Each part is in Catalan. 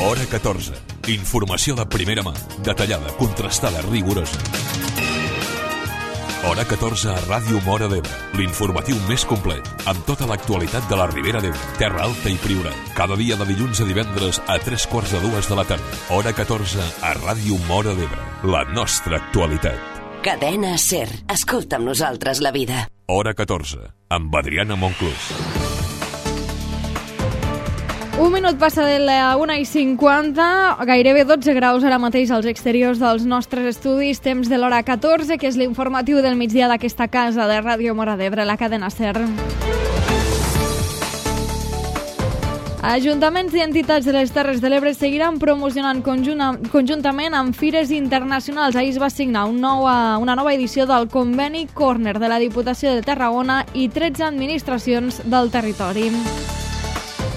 Hora 14. Informació de primera mà, detallada, contrastada, rigorosa. Hora 14 a Ràdio Móra d'Ebre, l'informatiu més complet, amb tota l'actualitat de la Ribera d'Ebre, Terra Alta i Priorat. Cada dia de dilluns a divendres a 3:45 de la tarda. Hora 14 a Ràdio Móra d'Ebre, la nostra actualitat. Cadena SER. Escolta amb nosaltres la vida. Hora 14, amb Adriana Monclús. Un minut passa de la 1:50, gairebé 12 graus ara mateix als exteriors dels nostres estudis, temps de l'hora 14, que és l'informatiu del migdia d'aquesta casa de Ràdio Móra d'Ebre, la cadena SER. Ajuntaments i entitats de les Terres de l'Ebre seguiran promocionant conjuntament amb fires internacionals. Ahir es va signar una nova edició del conveni Corner de la Diputació de Tarragona i 13 administracions del territori.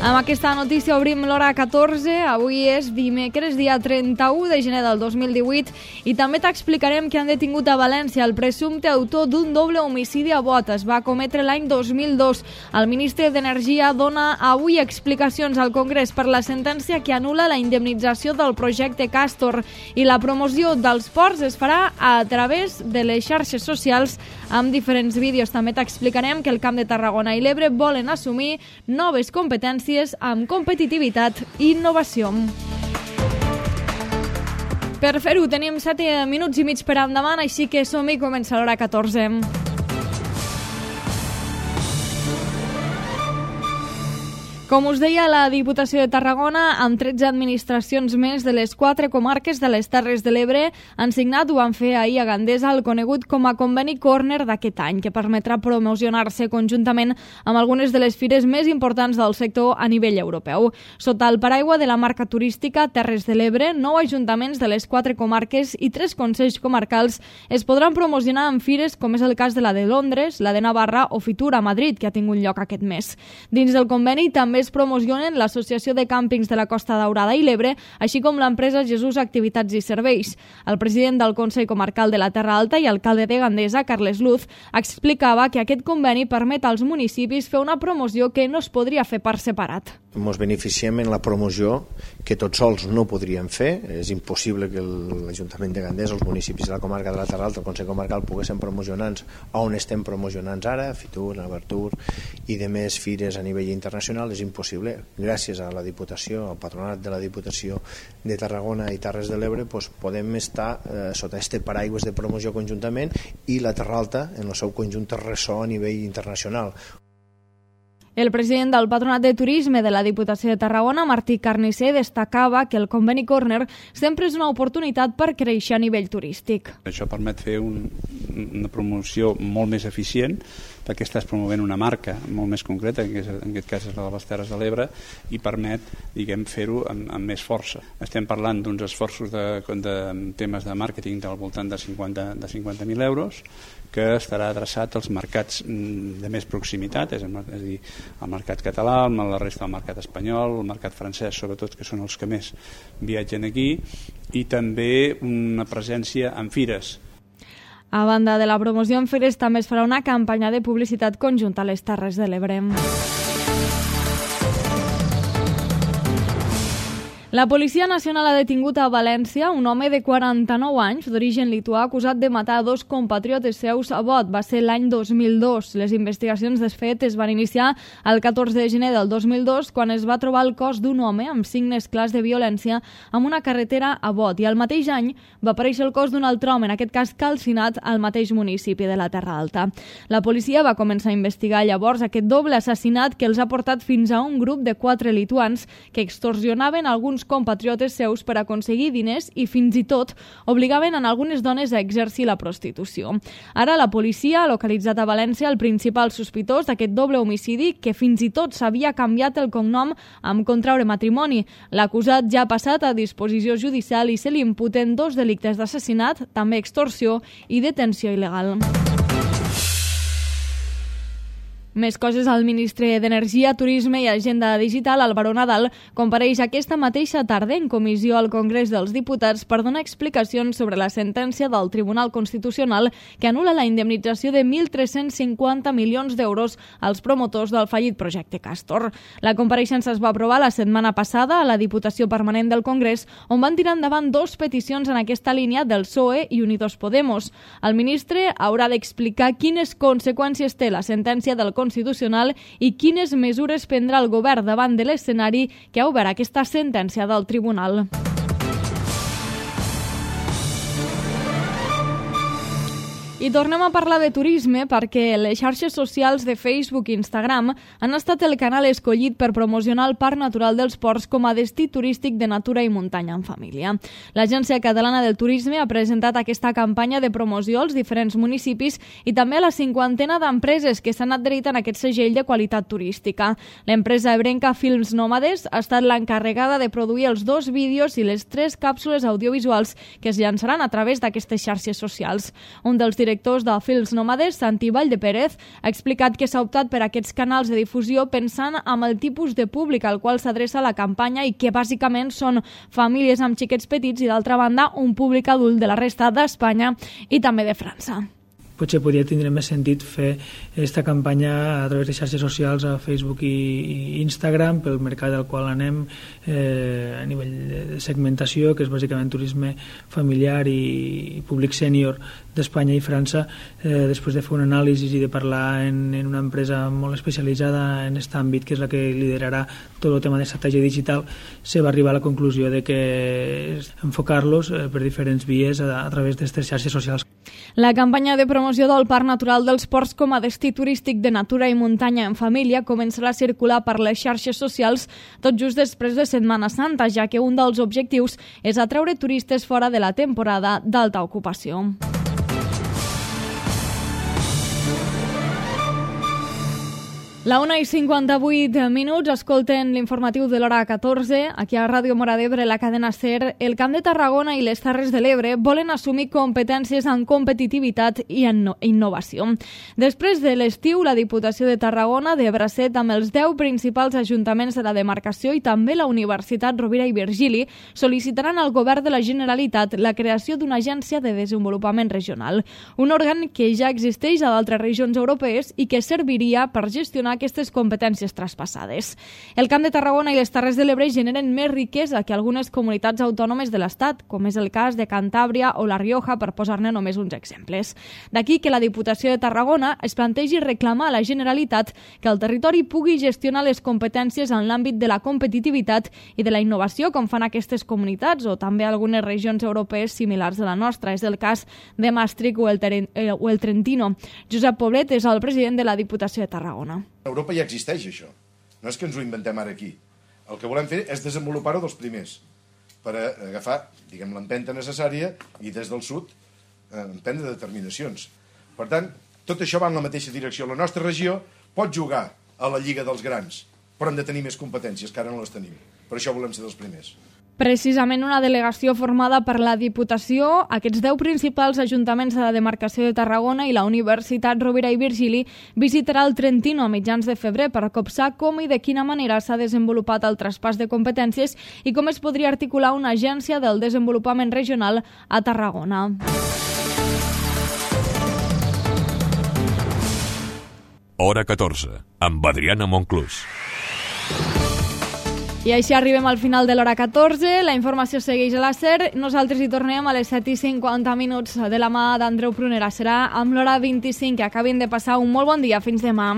Amb aquesta notícia obrim l'hora 14. Avui és dimecres, dia 31 de gener del 2018, i també t'explicarem que han detingut a València el presumpte autor d'un doble homicidi a Bot. Es va cometre l'any 2002. El ministre d'Energia dona avui explicacions al Congrés per la sentència que anul·la la indemnització del projecte Castor, i la promoció dels ports es farà a través de les xarxes socials amb diferents vídeos. També t'explicarem que el Camp de Tarragona i l'Ebre volen assumir noves competències amb competitivitat i innovació. Per fer-ho tenim 7 minuts i mig per endavant, així que som-hi, comença l'hora 14. Com us deia, la Diputació de Tarragona, amb 13 administracions més de les 4 comarques de les Terres de l'Ebre, han signat, ho van fer ahir a Gandesa, el conegut com a conveni Corner d'aquest any, que permetrà promocionar-se conjuntament amb algunes de les fires més importants del sector a nivell europeu. Sota el paraigua de la marca turística Terres de l'Ebre, 9 ajuntaments de les 4 comarques i 3 consells comarcals es podran promocionar en fires com és el cas de la de Londres, la de Navarra o Fitur a Madrid, que ha tingut lloc aquest mes. Dins del conveni també es promocionen l'Associació de Càmpings de la Costa Daurada i l'Ebre, així com l'empresa Jesús Activitats i Serveis. El president del Consell Comarcal de la Terra Alta i alcalde de Gandesa, Carles Luz, explicava que aquest conveni permet als municipis fer una promoció que no es podria fer per separat. Ens beneficiem en la promoció que tots sols no podríem fer. És impossible que l'Ajuntament de Gandesa, els municipis de la comarca de la Terra Alta, el Consell Comarcal, poguessin promocionar-nos on estem promocionant ara, Fitur, Navartur i de més fires a nivell internacional. És impossible. Gràcies a la Diputació, al Patronat de la Diputació de Tarragona i Terres de l'Ebre, podem estar sota este paraigües de promoció conjuntament, i la Terra Alta en el seu conjunt és ressò a nivell internacional. El president del Patronat de Turisme de la Diputació de Tarragona, Martí Carnisser, destacava que el conveni Corner sempre és una oportunitat per créixer a nivell turístic. Això permet fer una promoció molt més eficient, perquè estàs promovent una marca molt més concreta, que en aquest cas és la de les Terres de l'Ebre, i permet, fer-ho amb més força. Estem parlant d'uns esforços de temes de màrqueting del voltant de 50.000 euros, que estarà adreçat als mercats de més proximitat, és a dir, el mercat català, la resta del mercat espanyol, el mercat francès, sobretot, que són els que més viatgen aquí, i també una presència en fires. A banda de la promoció en fires, també es farà una campanya de publicitat conjunta a les Terres de l'Ebre. La Policia Nacional ha detingut a València un home de 49 anys d'origen lituà acusat de matar 2 compatriotes seus a Bot. Va ser l'any 2002. Les investigacions del fet es van iniciar el 14 de gener del 2002, quan es va trobar el cos d'un home amb signes clars de violència en una carretera a Bot, i el mateix any va aparèixer el cos d'un altre home, en aquest cas calcinat, al mateix municipi de la Terra Alta. La policia va començar a investigar llavors aquest doble assassinat que els ha portat fins a un grup de 4 lituans que extorsionaven alguns compatriotes seus per aconseguir diners i fins i tot obligaven en algunes dones a exercir la prostitució. Ara la policia ha localitzat a València el principal sospitós d'aquest doble homicidi, que fins i tot s'havia canviat el cognom amb contraure matrimoni. L'acusat ja ha passat a disposició judicial i se li imputen 2 delictes d'assassinat, també extorsió i detenció il·legal. Més coses, el ministre d'Energia, Turisme i Agenda Digital, Álvaro Nadal, compareix aquesta mateixa tarda en comissió al Congrés dels Diputats per donar explicacions sobre la sentència del Tribunal Constitucional que anul·la la indemnització de 1.350 milions d'euros als promotors del fallit projecte Castor. La compareixença es va aprovar la setmana passada a la Diputació Permanent del Congrés, on van tirar endavant 2 peticions en aquesta línia del PSOE i Unidos Podemos. El ministre haurà d'explicar quines conseqüències té la sentència del Constitucional i quines mesures prendrà el govern davant de l'escenari que ha obert aquesta sentència del tribunal. I tornem a parlar de turisme perquè les xarxes socials de Facebook i Instagram han estat el canal escollit per promocionar el Parc Natural dels Ports com a destí turístic de natura i muntanya en família. L'Agència Catalana del Turisme ha presentat aquesta campanya de promoció als diferents municipis i també a la 50ena d'empreses que s'han adherit a aquest segell de qualitat turística. L'empresa ebrenca Films Nòmades ha estat l'encarregada de produir els 2 vídeos i les 3 càpsules audiovisuals que es llançaran a través d'aquestes xarxes socials. Un dels directors de Films Nòmades, Santi Valldepérez, ha explicat que s'ha optat per aquests canals de difusió pensant en el tipus de públic al qual s'adreça la campanya i que bàsicament són famílies amb xiquets petits i, d'altra banda, un públic adult de la resta d'Espanya i també de França. Potser podria tindre més sentit fer aquesta campanya a través de xarxes socials a Facebook i Instagram pel mercat al qual anem a nivell de segmentació, que és bàsicament turisme familiar i públic sènior d'Espanya i França. Després de fer un anàlisi i de parlar en una empresa molt especialitzada en aquest àmbit, que és la que liderarà tot el tema d'estratègia digital, se va arribar a la conclusió de que enfocar-los per diferents vies a través d'aquestes xarxes socials. La campanya de promoció del Parc Natural dels Ports com a destí turístic de natura i muntanya en família començarà a circular per les xarxes socials tot just després de Setmana Santa, ja que un dels objectius és atreure turistes fora de la temporada d'alta ocupació. La 1:58, escolten l'informatiu de l'hora 14. Aquí a Ràdio Móra d'Ebre, la cadena SER, el Camp de Tarragona i les Terres de l'Ebre volen assumir competències en competitivitat i en innovació. Després de l'estiu, la Diputació de Tarragona, de bracet amb els 10 principals ajuntaments de la demarcació i també la Universitat Rovira i Virgili, sol·licitaran al Govern de la Generalitat la creació d'una agència de desenvolupament regional, un òrgan que ja existeix a d'altres regions europees i que serviria per gestionar aquestes competències traspassades. El Camp de Tarragona i les Terres de l'Ebre generen més riquesa que algunes comunitats autònomes de l'Estat, com és el cas de Cantàbria o La Rioja, per posar-ne només uns exemples. D'aquí que la Diputació de Tarragona es plantegi reclamar a la Generalitat que el territori pugui gestionar les competències en l'àmbit de la competitivitat i de la innovació, com fan aquestes comunitats o també algunes regions europees similars a la nostra. És el cas de Maastricht o el Trentino. Josep Poblet és el president de la Diputació de Tarragona. A Europa ja existeix això, no és que ens ho inventem ara aquí. El que volem fer és desenvolupar-ho dels primers, per agafar, diguem, l'empenta necessària i des del sud emprendre determinacions. Per tant, tot això va en la mateixa direcció. La nostra regió pot jugar a la Lliga dels Grans, però hem de tenir més competències, que ara no les tenim. Per això volem ser dels primers. Precisament una delegació formada per la Diputació, aquests 10 principals ajuntaments de la demarcació de Tarragona i la Universitat Rovira i Virgili visitarà el Trentino a mitjans de febrer per copsar com i de quina manera s'ha desenvolupat el traspàs de competències i com es podria articular una agència del desenvolupament regional a Tarragona. Hora 14, amb Adriana Monclús. I així arribem al final de l'hora 14. La informació segueix a la SER. Nosaltres hi tornem a les 7:50 de la mà d'Andreu Prunera. Serà amb l'hora 25. Que acabin de passar un molt bon dia. Fins demà.